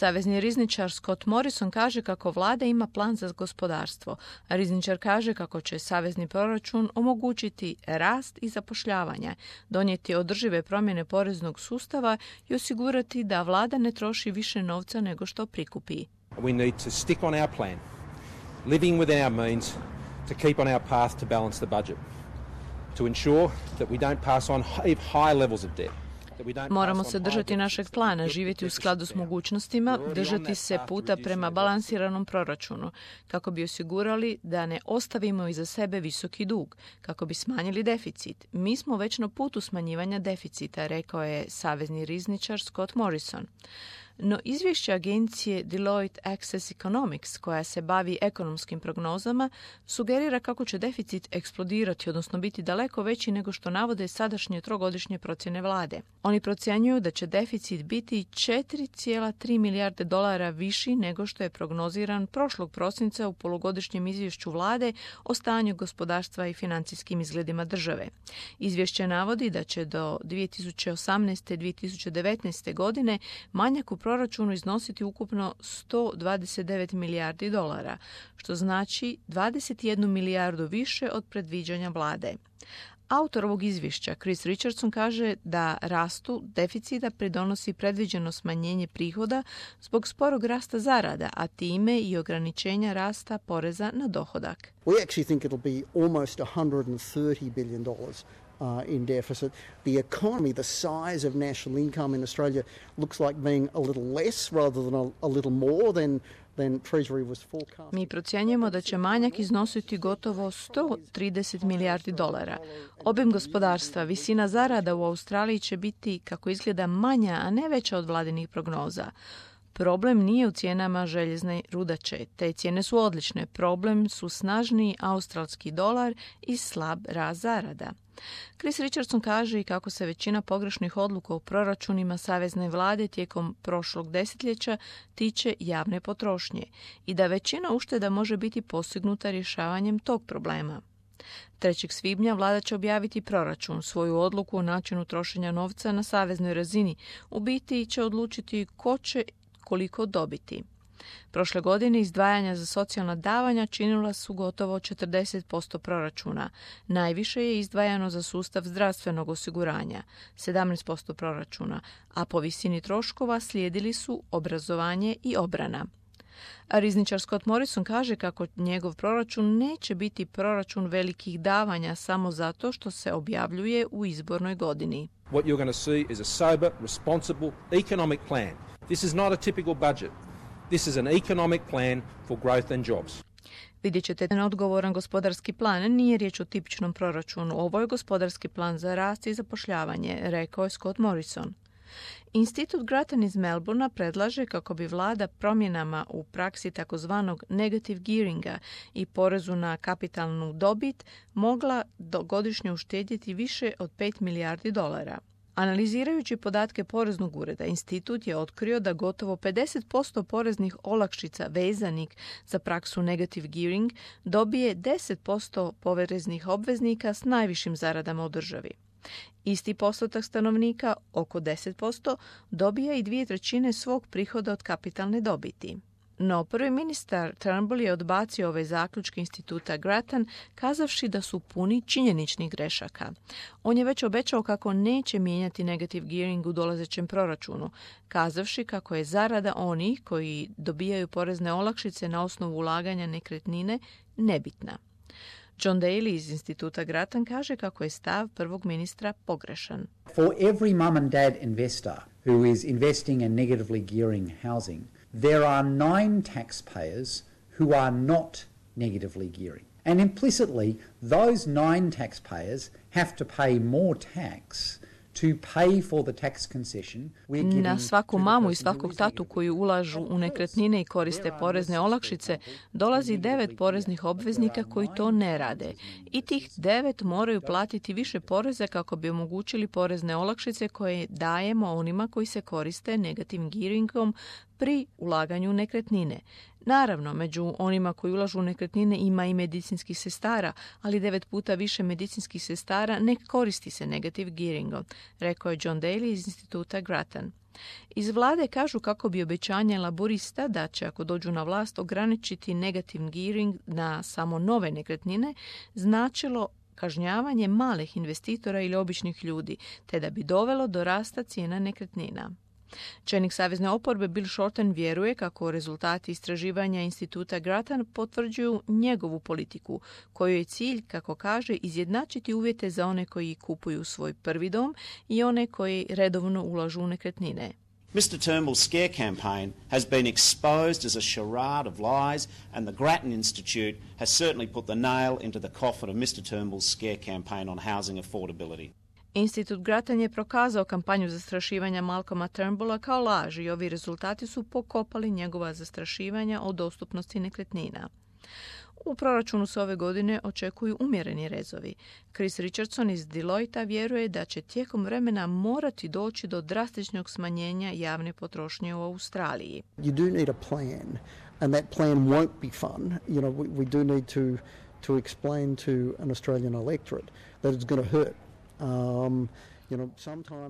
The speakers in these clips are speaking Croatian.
Savezni rizničar Scott Morrison kaže kako vlada ima plan za gospodarstvo, a rizničar kaže kako će savezni proračun omogućiti rast i zapošljavanje, donijeti održive promjene poreznog sustava i osigurati da vlada ne troši više novca nego što prikupi. We need to stick on our plan, living within our means, to keep on our path to balance the budget, to ensure that we don't pass on high levels of debt. Moramo se držati našeg plana, živjeti u skladu s mogućnostima, držati se puta prema balansiranom proračunu, kako bi osigurali da ne ostavimo iza sebe visoki dug, kako bi smanjili deficit. Mi smo već na putu smanjivanja deficita, rekao je savezni rizničar Scott Morrison. No izvješće agencije Deloitte Access Economics, koja se bavi ekonomskim prognozama, sugerira kako će deficit eksplodirati, odnosno biti daleko veći nego što navode sadašnje trogodišnje procjene vlade. Oni procjenjuju da će deficit biti 4,3 milijarde dolara viši nego što je prognoziran prošlog prosinca u polugodišnjem izvješću vlade o stanju gospodarstva i financijskim izgledima države. Izvješće navodi da će do 2018. i 2019. godine manjak u proračunu iznositi ukupno 129 milijardi dolara, što znači 21 milijardu više od predviđanja vlade. Autor ovog izvješća, Chris Richardson, kaže da rastu deficita pridonosi predviđeno smanjenje prihoda zbog sporog rasta zarada, a time i ograničenja rasta poreza na dohodak. We actually think it'll be almost $130 billion in deficit. The economy, the size of national income in Australia looks like being a little less rather than a little more than Treasury was forecast. Mi procjenjujemo da će manjak iznositi gotovo 130 milijardi dolara. Obim gospodarstva, visina zarada u Australiji će biti, kako izgleda, manja, a ne veća od vladinih prognoza. Problem nije u cijenama željezne rudače. Te cijene su odlične. Problem su snažniji australski dolar i slab rast zarada. Chris Richardson kaže i kako se većina pogrešnih odluka u proračunima savezne vlade tijekom prošlog desetljeća tiče javne potrošnje i da većina ušteda može biti postignuta rješavanjem tog problema. 3. svibnja vlada će objaviti proračun, svoju odluku o načinu trošenja novca na saveznoj razini. U biti će odlučiti ko će koliko dobiti. Prošle godine izdvajanja za socijalna davanja činila su gotovo 40% proračuna. Najviše je izdvajano za sustav zdravstvenog osiguranja, 17% proračuna, a po visini troškova slijedili su obrazovanje i obrana. A rizničar Scott Morrison kaže kako njegov proračun neće biti proračun velikih davanja samo zato što se objavljuje u izbornoj godini. What you're going to see is a sober, responsible economic plan. This is not a typical budget. This is an economic plan for growth and jobs. Vidjet ćete odgovoran gospodarski plan. Nije riječ o tipičnom proračunu. Ovo je gospodarski plan za rast i zapošljavanje, rekao je Scott Morrison. Institut Grattan iz Melbournea predlaže kako bi vlada promjenama u praksi takozvanog negative gearinga i porezu na kapitalnu dobit mogla godišnje uštedjeti više od 5 milijardi dolara. Analizirajući podatke Poreznog ureda, institut je otkrio da gotovo 50% poreznih olakšica vezanih za praksu negative gearing dobije 10% poreznih obveznika s najvišim zaradama u državi. Isti postotak stanovnika, oko 10%, dobija i 2/3 svog prihoda od kapitalne dobiti. No, prvi ministar Turnbull je odbacio ove zaključke instituta Grattan, kazavši da su puni činjeničnih grešaka. On je već obećao kako neće mijenjati negative gearing u dolazećem proračunu, kazavši kako je zarada onih koji dobijaju porezne olakšice na osnovu ulaganja nekretnine nebitna. John Daly iz instituta Grattan kaže kako je stav prvog ministra pogrešan. For every mum and dad investor who is investing in negatively gearing housing, there are 9 taxpayers who are not negatively gearing. And implicitly, those 9 taxpayers have to pay more tax to pay for the tax concession. Na svaku mamu i svakog tatu koji ulažu u nekretnine i koriste porezne olakšice dolazi 9 poreznih obveznika koji to ne rade. I tih 9 moraju platiti više poreza kako bi omogućili porezne olakšice koje dajemo onima koji se koriste negativnim gearingom pri ulaganju u nekretnine. Naravno, među onima koji ulažu u nekretnine ima i medicinskih sestara, ali 9 puta više medicinskih sestara ne koristi se negative gearingom, rekao je John Daly iz instituta Grattan. Iz vlade kažu kako bi obećanje laborista da će, ako dođu na vlast, ograničiti negative gearing na samo nove nekretnine značilo kažnjavanje malih investitora ili običnih ljudi, te da bi dovelo do rasta cijena nekretnina. Čelnik savezne oporbe Bill Shorten vjeruje kako rezultati istraživanja instituta Grattan potvrđuju njegovu politiku, kojoj je cilj, kako kaže, izjednačiti uvjete za one koji kupuju svoj prvi dom i one koji redovno ulažu u nekretnine. Mr Turnbull's scare campaign has been exposed as a charade of lies, and the Grattan Institute has certainly put the nail into the coffin of Mr Turnbull's scare campaign on housing affordability. Institut Grattan je prokazao kampanju zastrašivanja Malcolma Turnbulla kao laž i ovi rezultati su pokopali njegova zastrašivanja o dostupnosti nekretnina. U proračunu se ove godine očekuju umjereni rezovi. Chris Richardson iz Deloitta vjeruje da će tijekom vremena morati doći do drastičnog smanjenja javne potrošnje u Australiji. You do need a plan, and that plan won't be fun. You know, we do need to explain to an Australian electorate that it's going to hurt.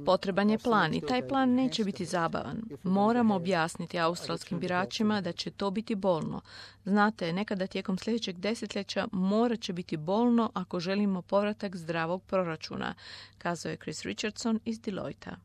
Potreban je plan i taj plan neće biti zabavan. Moramo objasniti australskim biračima da će to biti bolno. Znate, nekada tijekom sljedećeg desetljeća morat će biti bolno ako želimo povratak zdravog proračuna, kazao je Chris Richardson iz Deloitta.